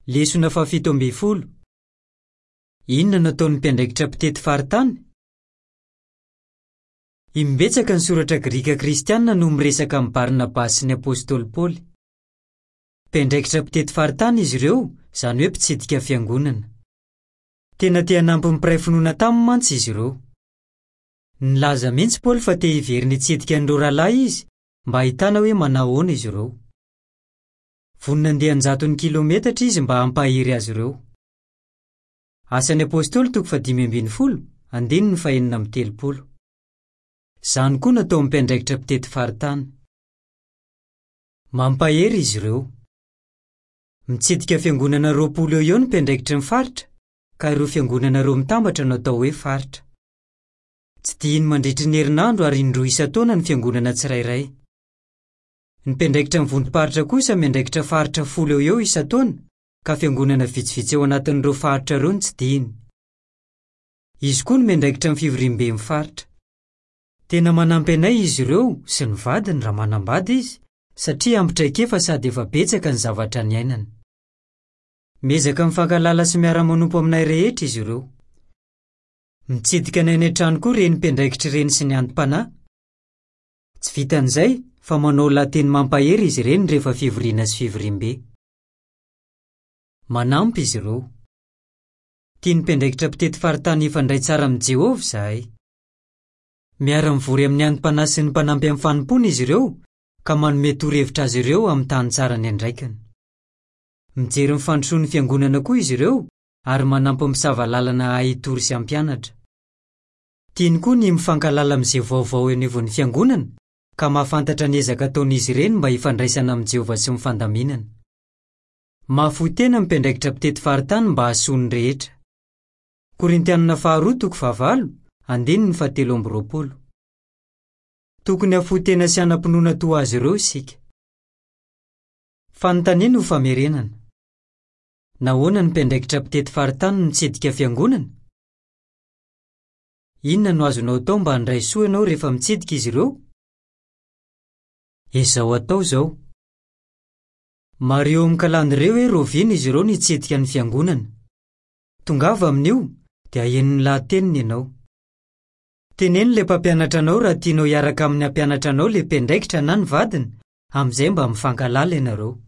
Lesona faha-17. Inona no ataon'ny mpiandraikitra mpitety faritany? Imbetsaka ny Soratra Grika Kristianina no miresaka amin'i Barnabasy sy ny apostoly Paoly. Mpiandraikitra mpitety faritany izy ireo, izany hoe mpitsidika fiangonana. Tena te hanampy ny mpiray finoana taminy mantsy izy ireo. Nilaza mihitsy Paoly fa te hiverina hitsidika an'ireo rahalahy izy mba hahitana hoe manao ahoana izy ireo. Vonona handeha an-jatony kilaometatra izy mba hampahery azy ireo. Asan'ny Apostoly toko fahadimy ambin'ny folo, andininy fahenina amby telopolo. Izany koa no ataon'ny mpiandraikitra mpitety faritany. Mampahery izy ireo. Mitsidika fiangonana 20 eo ho eo ny mpiandraikitry ny faritra, ka ireo fiangonana ireo mitambatra no atao hoe faritra. Tsidihiny mandritry ny herinandro ary indroa isan-taona ny fiangonana tsirairay. Ny mpiandraikitra ny vondrom-paritra kosa miandraikitra faritra 10 eo ho eo isan-taona, ka fiangonana vitsivitsy ao anatin'ireo faritra ireo no tsidihiny. Izy koa no miandraikitra ny fivoriamben'ny faritra. Tena manampy anay izy ireo sy ny vadiny raha manambady izy, satria ampy traikefa sady efa betsaka ny zavatra niainany. Miezaka mifankahalala sy miara-manompo aminay rehetra izy ireo. Mitsidika anay any an-trano koa ireny mpiandraikitra ireny sy ny anti-panahy. Tsy vitan'izay fa manao lahateny mampahery izy ireny rehefa fivoriana sy fivoriambe. Manampy izy ireo. Tian'ny mpiandraikitra mpitety faritany hifandray tsara amin'i Jehovah izahay. Miara-mivory amin'ny anti-panahy sy ny mpanampy amin'ny fanompoana izy ireo, ka manome torohevitra azy ireo amin'ny tany tsara niandraikany. Mijery ny fandrosoan'ny fiangonana koa izy ireo ary manampy ny mpisava lalana hahay hitory sy hampianatra. Tiany koa ny mifankahalala amin'izay vaovao eo anivon'ny fiangonana, ka mahafantatra ny ezaka ataon'izy ireny mba hifandraisana amin'i Jehovah sy ny fandaminana. Mahafoy tena ny mpiandraikitra mpitety faritany mba hahasoa ny rehetra. Korintianina faharoa toko fahavalo, andininy fahatelo amby roapolo. Tokony hahafoy tena sy hanam-pinoana toa azy ireo isika. Fanontaniana ho famerenana. Nahoana ny mpiandraikitra mpitety faritany no mitsidika fiangonana? Inona no azonao atao mba handray soa ianao rehefa mitsidika izy ireo? Ezao atao izao. Mariho amin'ny kalandrie hoe rahoviana izy ireo no hitsidika ny fiangonana. Tongava amin'io, dia haheno ny lahateniny ianao. Teneno ilay mpampianatra anao raha tianao hiaraka amin'ny hampianatra anao ilay mpiandraikitra na ny vadiny, amin'izay mba mifankahalala ianareo.